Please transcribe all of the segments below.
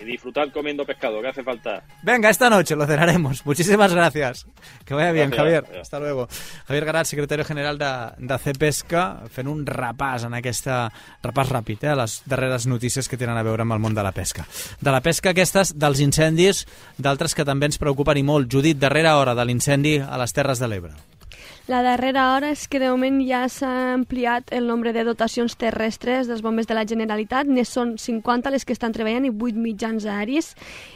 y disfrutar comiendo pescado, que hace falta. Venga, esta noche lo cenaremos. Muchísimas gracias. Que vaya bien, Gracias. Javier. Hasta luego. Javier Garat, secretari general de CEPESCA, fent un repàs en aquesta... repàs ràpid, a les darreres notícies que tenen a veure amb el món de la pesca. De la pesca aquestes, dels incendis, d'altres que també ens preocupen i molt. Judit, darrera hora de l'incendi a les Terres de l'Ebre. La darrera hora és que de moment ja s'ha ampliat el nombre de dotacions terrestres dels bombers de la Generalitat. Ne són 50 les que estan treballant i 8 mitjans aeris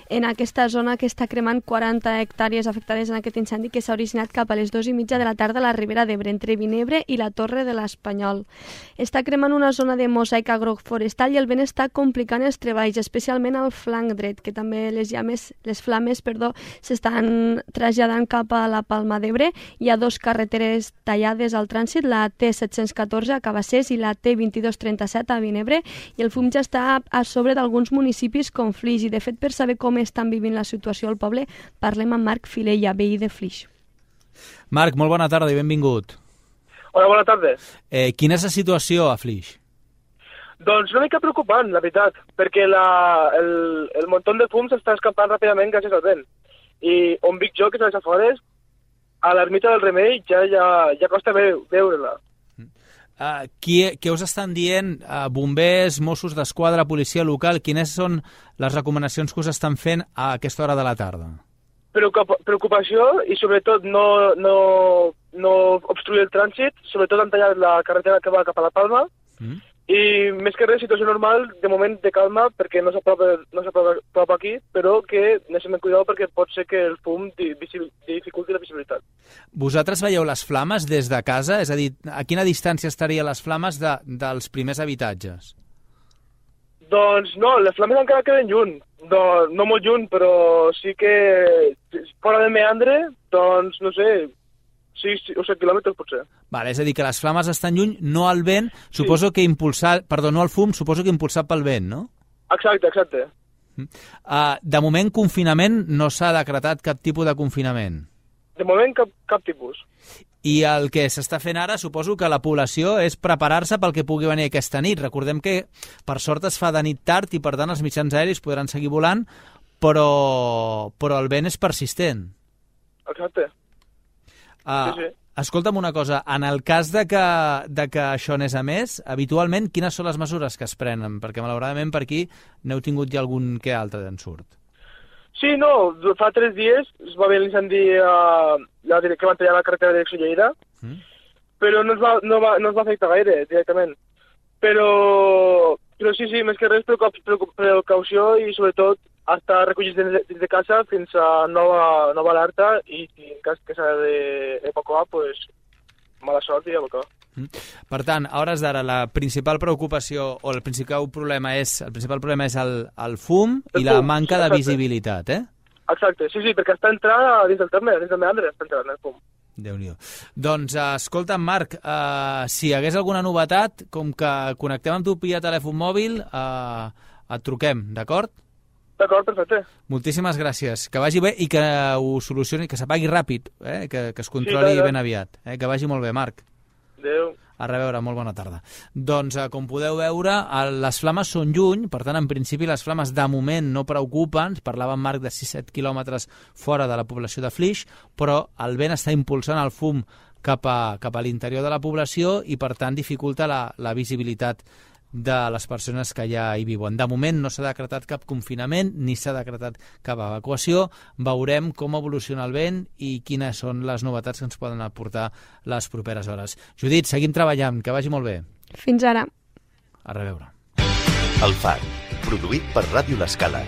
en aquesta zona que està cremant 40 hectàrees afectades en aquest incendi que s'ha originat cap a les 2:30 de la tarda a la Ribera d'Ebre, entre Vinebre i la Torre de l'Espanyol. Està cremant una zona de mosaic agroforestal i el vent està complicant els treballs, especialment al flanc dret, que també les flames s'estan traslladant cap a la Palma d'Ebre. Hi ha 2 carreteres tallades al trànsit, la T714 a Cabassers i la T2237 a Vinebre, i el fum ja està a sobre d'alguns municipis com Flix. I de fet, per saber com estan vivint la situació al poble, parlem amb Marc Filella, veí de Flix. Marc, molt bona tarda i benvingut. Hola, bona tarda. Quina és la situació a Flix? Doncs una mica preocupant, la veritat, perquè el muntó de fum s'està escapant ràpidament gràcies al vent. I on vic jo, que és a les afores, a l'ermita del Remei ja costa veure-la. Què us estan dient bombers, Mossos d'Esquadra, policia local? Quines són les recomanacions que us estan fent a aquesta hora de la tarda? Preocupació i sobretot no obstruir el trànsit, sobretot han tallat la carretera que va cap a la Palma, i més que res, situació normal, de moment de calma, perquè no s'apropa aquí, però que necessitem cuidar perquè pot ser que el fum dificulti la visibilitat. Vosaltres veieu les flames des de casa? És a dir, a quina distància estarien les flames dels primers habitatges? Doncs no, les flames encara queden lluny. No molt lluny, però sí que fora del meandre, doncs no sé, 6 o 7 quilòmetres potser. Vale, és a dir, que les flames estan lluny, no al vent, suposo que no al fum, suposo que impulsat pel vent, no? Exacte. De moment, confinament, no s'ha decretat cap tipus de confinament? De moment, cap tipus. I el que s'està fent ara, suposo que la població és preparar-se pel que pugui venir aquesta nit. Recordem que, per sort, es fa de nit tard i, per tant, els mitjans aeris podran seguir volant, però el vent és persistent. Exacte. Sí. Escolta'm una cosa, en el cas de que això anés a més, habitualment quines són les mesures que es prenen? Perquè malauradament per aquí n'heu tingut ja algun que altre d'en surt. Sí, no, fa 3 dies es va haver l'incendi que van tallar la carretera de direcció Lleida, però no es va afectar gaire directament. Però sí, més que res precaució i sobretot estar recollits dins de casa fins a nova alerta i en cas que s'ha d'evacuar, doncs mala sort i evacuar. Per tant, a hores d'ara, la principal preocupació o el principal problema és el fum i la manca de visibilitat, eh? Exacte, sí, perquè està entrant dins del terme, dins del meandre, està entrant el fum. Déu-n'hi-do. Doncs, escolta'm, Marc, si hi hagués alguna novetat, com que connectem amb tu via telèfon mòbil, et truquem, d'acord? D'acord, perfecte. Moltíssimes gràcies. Que vagi bé i que ho solucioni, que s'apagui ràpid, que es controli ben aviat. Que vagi molt bé, Marc. Adéu. A reveure, molt bona tarda. Doncs, com podeu veure, les flames són lluny, per tant, en principi, les flames de moment no preocupen. Parlava en Marc de 6-7 quilòmetres fora de la població de Flix, però el vent està impulsant el fum cap a l'interior de la població i, per tant, dificulta la visibilitat de les persones que ja hi viuen. De moment no s'ha decretat cap confinament ni s'ha decretat cap evacuació. Veurem com evoluciona el vent i quines són les novetats que ens poden aportar les properes hores. Judit, seguim treballant, que vagi molt bé. Fins ara. A reveure. El Far, produït per Ràdio L'Escala.